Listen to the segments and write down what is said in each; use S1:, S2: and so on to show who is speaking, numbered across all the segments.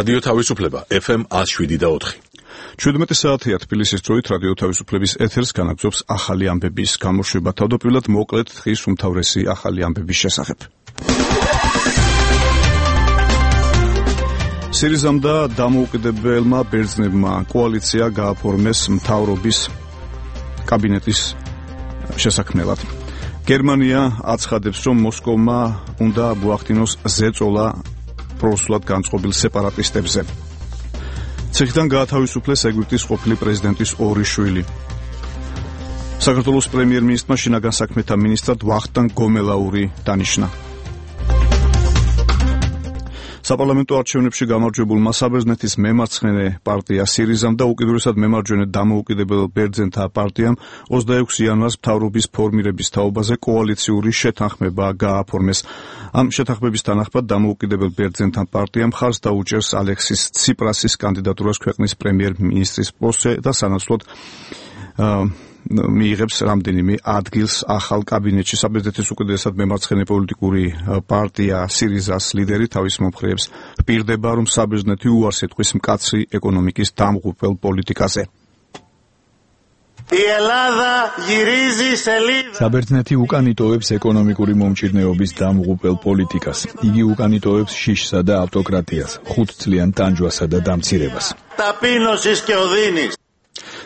S1: რადიო თავისუფლება FM 107.4.
S2: 17 საათია თბილისის დროით რადიო თავისუფლების ეთერს განაგზობს ახალი ამბების გამოშვება. თავდაპირველად მოკლედ დღის უმთავრესი ახალი ამბების შესახებ. სირიზამ და დამოუკიდებელმა ბერძნებმა კოალიცია გააფორმეს მთავრობის კაბინეტის შესაქმნელად. გერმანია აცხადებს, რომ მოსკოვმა უნდა მოახდინოს ზეწოლა პროსულად განწყობილ სეპარატისტებზე. ციხიდან გაათავისუფლეს ეგვიპტის ყოფილი პრეზიდენტის ორი შვილი. საქართველოს პრემიერ-მინისტრმა შინაგან საქმეთა მინისტრად ვახტანგ გომელაური დანიშნა. საპარლამენტო არჩევნებში გამარჯვებულმა საბერძნეთის მემარცხენე პარტია სირიზამ და უკიდურესად მემარჯვენე დამოუკიდებელ ბერძენთა პარტიამ 26 იანვარს მთავრობის ფორმირების თაობაზე კოალიციური შეთანხმება გააფორმეს. ამ შეთანხმების თანახმად დამოუკიდებელ ბერძენთა პარტიამ მხარს დაუჭერს ალექსის ციპრასის კანდიდატურას ქვეყნის პრემიერ-მინისტრის პოსტზე და სანაცვლოდ მიიღებს რამდენიმე ადგილს ახალ კაბინეტში. საბერძნეთის უკიდურესად მემარცხენე პოლიტიკური პარტია სირიზას ლიდერი თავის მომხრეებს პირდება, რომ საბერძნეთი უარს ეთქვის მკაცრი ეკონომიკის დამღუპველ პოლიტიკაზე.
S3: საბერძნეთი უკანიტოებს ეკონომიკური მომჭირნეობის დამღუპველ პოლიტიკას. იგი უკანიტოებს შიშსა და ავტოკრატიას, 5 წლიან ტანჯვასა და დამცირებას.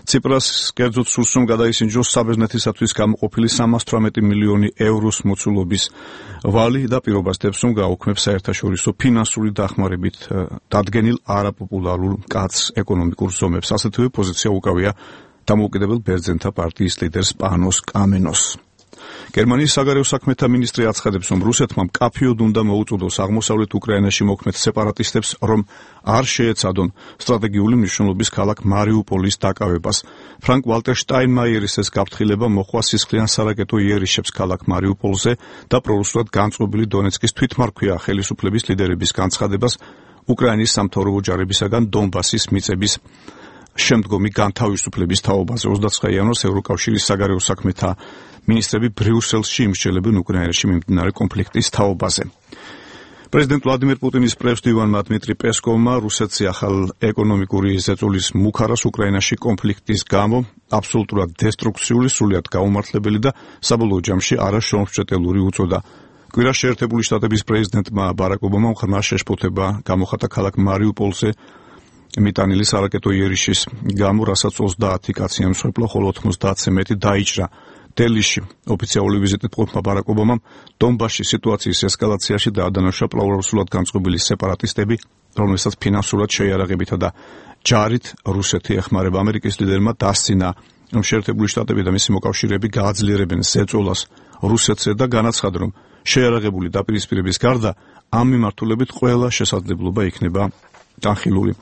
S3: ციპრას კერძოდ სურს, რომ გადაისინჯოს საბერძნეთისათვის გამოყოფილი 318 მილიონი ევროს მოცულობის ვალი და პირობასდებს, რომ გააუქმებს საერთაშორისო ფინანსური დახმარებით დადგენილ არაპოპულარულ მკაცრ ეკონომიკურ ზომებს. ასეთივე პოზიცია უკავია დამოუკიდებელ ბერძენთა პარტიის ლიდერს პანოს კამენოს. გერმანიის საგარეო საქმეთა მინისტრი აცხადებს, რომ რუსეთმა მკაფიოდ უნდა მოუწოდოს აღმოსავლეთ უკრაინაში მოქმედ სეპარატისტებს, რომ არ შეეცადონ სტრატეგიული მნიშვნელობის ქალაქ მარიუპოლის დაკავებას. ფრანკ ვალტერ შტაინმაიერის ეს გაფრთხილება მოხვა სისხლიან სარაკეტო იერიშებს ქალაქ მარიუპოლზე და პრორუსულად განწყობილი დონეცკის თვითმარქვია ხელისუფლების ლიდერების განცხადებას უკრაინის სამთავრობო ჯარებისაგან დონბასის მიწების შემდგომი განთავისუფლების თაობაზე. 29 იანვარს ევროკავშირის საგარეო საქმეთა მინისტრები ბრიუსელში იმსჯელებენ უკრაინაში მიმდინარე კონფლიქტის თაობაზე. პრეზიდენტ ვლადიმერ პუტინის პრეს-დივანმა დმიტრი პესკოვმა რუსეთზე ახალ ეკონომიკური ზეწოლის მუხარას უკრაინაში კონფლიქტის გამო აბსოლუტურად დესტრუქციული, სრულიად გაუმართლებელი და საბოლოო ჯამში არაშრომსჭეტელური უწოდა. კვირას შეერთებული შტატების პრეზიდენტმა ბარაკ ობამამ ღრმა შეშფოთება გამოხატა ქალაქ მარიუპოლზე მიტანილი სარაკეტო იერიშის გამო, რასაც 30 კაცი ემსხვერპლა, ხოლო 90-ზე მეტი დაიჭრა. დელიში ოფიციალური ვიზიტით მყოფმა ბარაკ ობამამ დონბასში სიტუაციის ესკალაციაში დაადანაშა პრორუსულად განწყობილი სეპარატისტები, რომელსაც ფინანსურად შეიარაღებითა და ჯარით რუსეთი ეხმარება. ამერიკის ლიდერმა დასცინა, რომ შეერთებული შტატები და მისი მოკავშირეები გააძლიერებენ ზეწოლას რუსეთზე და განაცხადა, რომ შეიარაღებული დაპირისპირების გარდა ამ მიმართულებით ყველა შესაძლებლობა იქნება განხილული.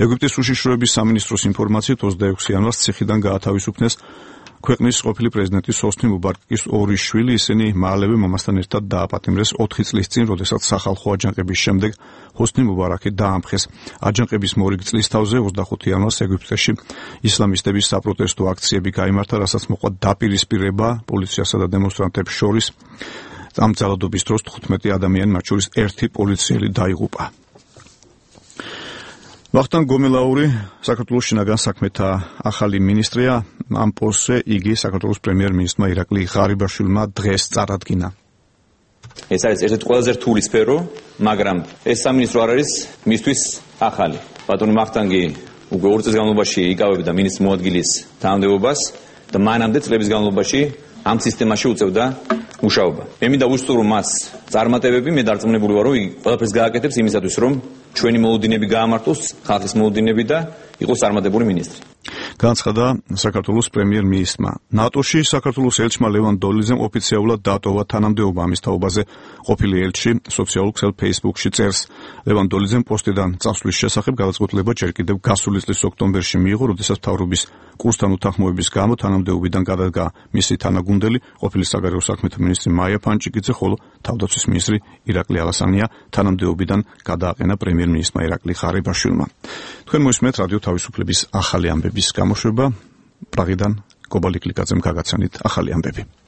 S3: ეგვიპტის უშიშროების სამინისტროს ინფორმაციით 26 იანვარს ციხიდან გაათავისუფლეს ქვეყნის ყოფილი პრეზიდენტის ჰოსნი მუბარაკის ორი შვილი. ისინი მალევე მამასთან ერთად დააპატიმრეს 4 წლის წინ, როდესაც სახალხო აჯანყების შემდეგ ჰოსნი მუბარაკი დაამხეს. აჯანყების მორიგ წლის თავზე 25 იანვარს ეგვიპტეში ისლამისტების საპროტესტო აქციები გაიმართა, რასაც მოყვა დაპირისპირება პოლიციასა და დემონსტრანტებს შორის. ამ ძალადობის დროს 15 ადამიანი, მათ შორის 1 პოლიციელი დაიღუპა. ვახტანგ გომელაური საქართველოს შინაგან საქმეთა ახალი მინისტრია. ამ პოსტზე იგი საქართველოს პრემიერ-მინისტრმა ირაკლი ღარიბაშვილმა დღეს წარადგინა.
S4: ეს არის ერთ-ერთი ყველაზე რთული სფერო, მაგრამ ეს სამინისტრო არ არის მისთვის ახალი. ბატონი ვახტანგი უკვე 2 წლის განმავლობაში იკავებდა მინისტრის მოადგილის თანამდებობას და მანამდე წლების განმავლობაში ამ სისტემაში უწევდა მუშაობა. მე მინდა ვუსწრო, რომ მას წარმატებები, მე დარწმუნებული ვარ, რომ იგი ყველაფერს გააკეთებს იმისათვის, რომ ჩვენი მოუდინები გაამართლოს, ხალხის მოუდინები და იყოს წარმატებული მინისტრი.
S2: განცხადა საქართველოს პრემიერ-მინისტრმა. ნატოში საქართველოს ელჩმა ლევან დოლიძემ ოფიციალურად დატოვა თანამდებობა ამის თაობაზე. ყოფილი ელჩი სოციალურ ქსელ Facebook-ში წერს. ლევან დოლიძემ პოსტიდან წასვლის შესახებ გადაწყვეტილება ჯერ კიდევ გასული წლის ოქტომბერში მიიღო, როდესაც მთავრობის კურსთან უთანხმოების გამო თანამდებობიდან გადადგა მისი თანაგუნდელი, ყოფილი საგარეო საქმეთა მინისტრი მაია ფანჭიკიძე, ხოლო თავდაცვის მინისტრი ირაკლი ალასანია თანამდებობიდან გადააყენა პრემიერ-მინისტრმა ირაკლი ღარიბაშვილმა. თქვენ მოისმენთ რადიო თავისუფლების ახალი ამბების გამოშვება. პრაღიდან კობალიკლიძემ გაგაცანით ახალი ამბები.